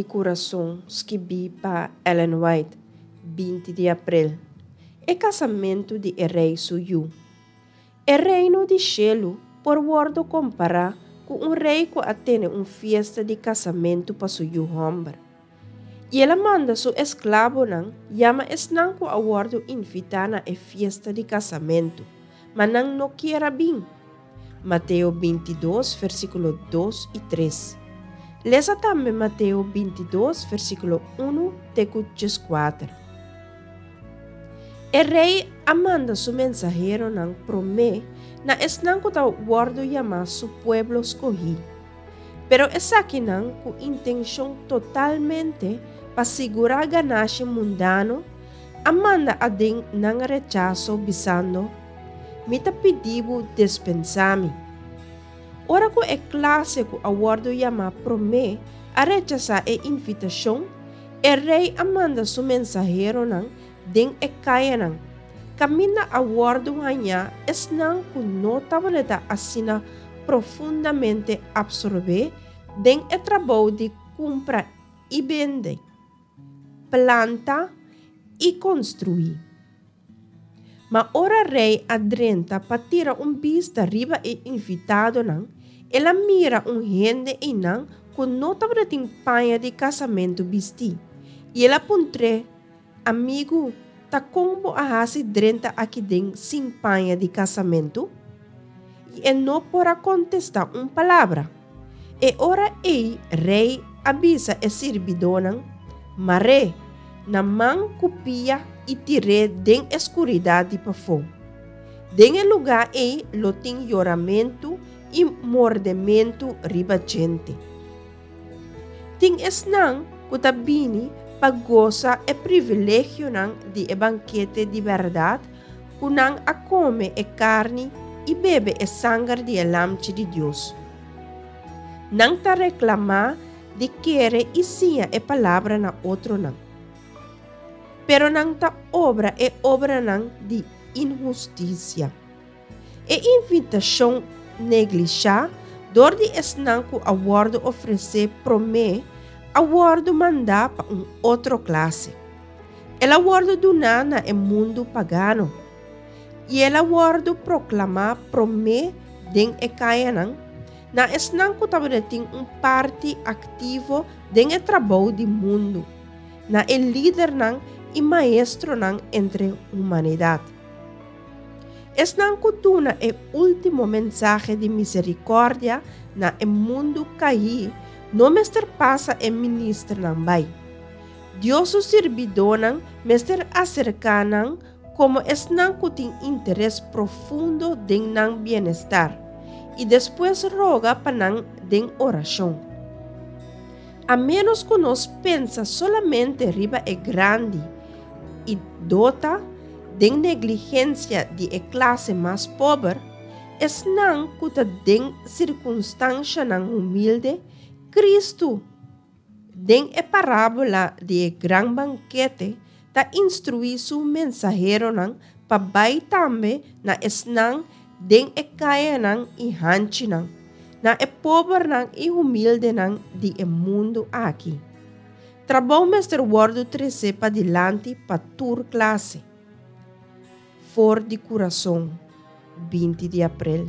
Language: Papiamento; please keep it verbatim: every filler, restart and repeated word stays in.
di Kurason skibí pa Ellen White, binti di aprel. E kasamentu di e rei su yu. E reino di shelu por wòrdu kompará ku un rei ku a tene un fiesta di kasamentu pa su yu hòmber. I el a manda su esklabonan yama esnan ku a wòrdu invitá na e fiesta di kasamentu, ma nan no kier a bin. Mateo bintidos, versíkulo dos i tres. Lesa tambe Mateo bintidos, versíkulo un te ku dieskuater. E rei a manda su mensaheronan promé na esnan ku ta wòrdu yamá su pueblo skohí. Pero esakinan ku intenshon totalmente pa sigurá ganashi mundano, a manda aden nan rechaso bisando, Mi ta pidi bo dispensá mi. Ora ku e klase ku a wòrdu yamá promé a rechasá e invitashon, e rei a manda su mensaheronan den e kayanan, kaminda a wòrdu hañá esnan ku no tabata asina profundamente apsorbé den e trabou di kumpra i bende, planta i konstruí. Ma ora rei a drenta pa tira un bista riba e invitadonan, el a mira un hende einan ku no tabatin paña di kasamentu bistí. I el a puntr'é, Amigu, ta kon bo a hasi drenta aki den sin paña di kasamentu? I e no por a kontestá un palabra. E ora ei rei a bisa e sirbidónan, Mar'é na man ku pia i tir'é den e skuridat di pafó. Den e lugá ei lo tin yoramentu i mordementu riba djente. Tin esnan ku ta bini pa gosa e privilegionan di e bankete di bèrdat ku nan a kome e karni i bebe e sanger di e Lamchi di Dios. Nan ta reklamá di kere i siña e palabra na otronan. Pero nan ta obra e obranan di inhustisia. E invitashon neglishá dor di esnan ku a wòrdu ofresé promé a wòrdu mandá pa un otro klase. El a wòrdu duná na e mundu pagano. I el a wòrdu proklamá promé den e kayanan, na esnan ku tabatin un parti aktivo den e trabou di mundu, na e lidernan i maestronan entre humanidat. Esnan ku duna e último mensahe di miserikòrdia na e mundu kaí no mester pasa e ministernan bai. Dios su sirbidónan mester aserká nan komo esnan ku tin interes profundo den nan bienestar i despues roga pa nan den orashon. A ménos ku nos pensa solamente riba e grandi i dota den negligensia di e klase mas pober, esnan ku ta den sirkunstanshanan humilde, Kristu, den e parábola di e gran bankete, ta instruí su mensaheronan pa bai tambe na esnan den e kayanan i hanchinan, na e pobernan i humildenan di e mundu aki. Trabou mester wòrdu tresé padilanti pa tur klase. For di Kurason, binti di aprel.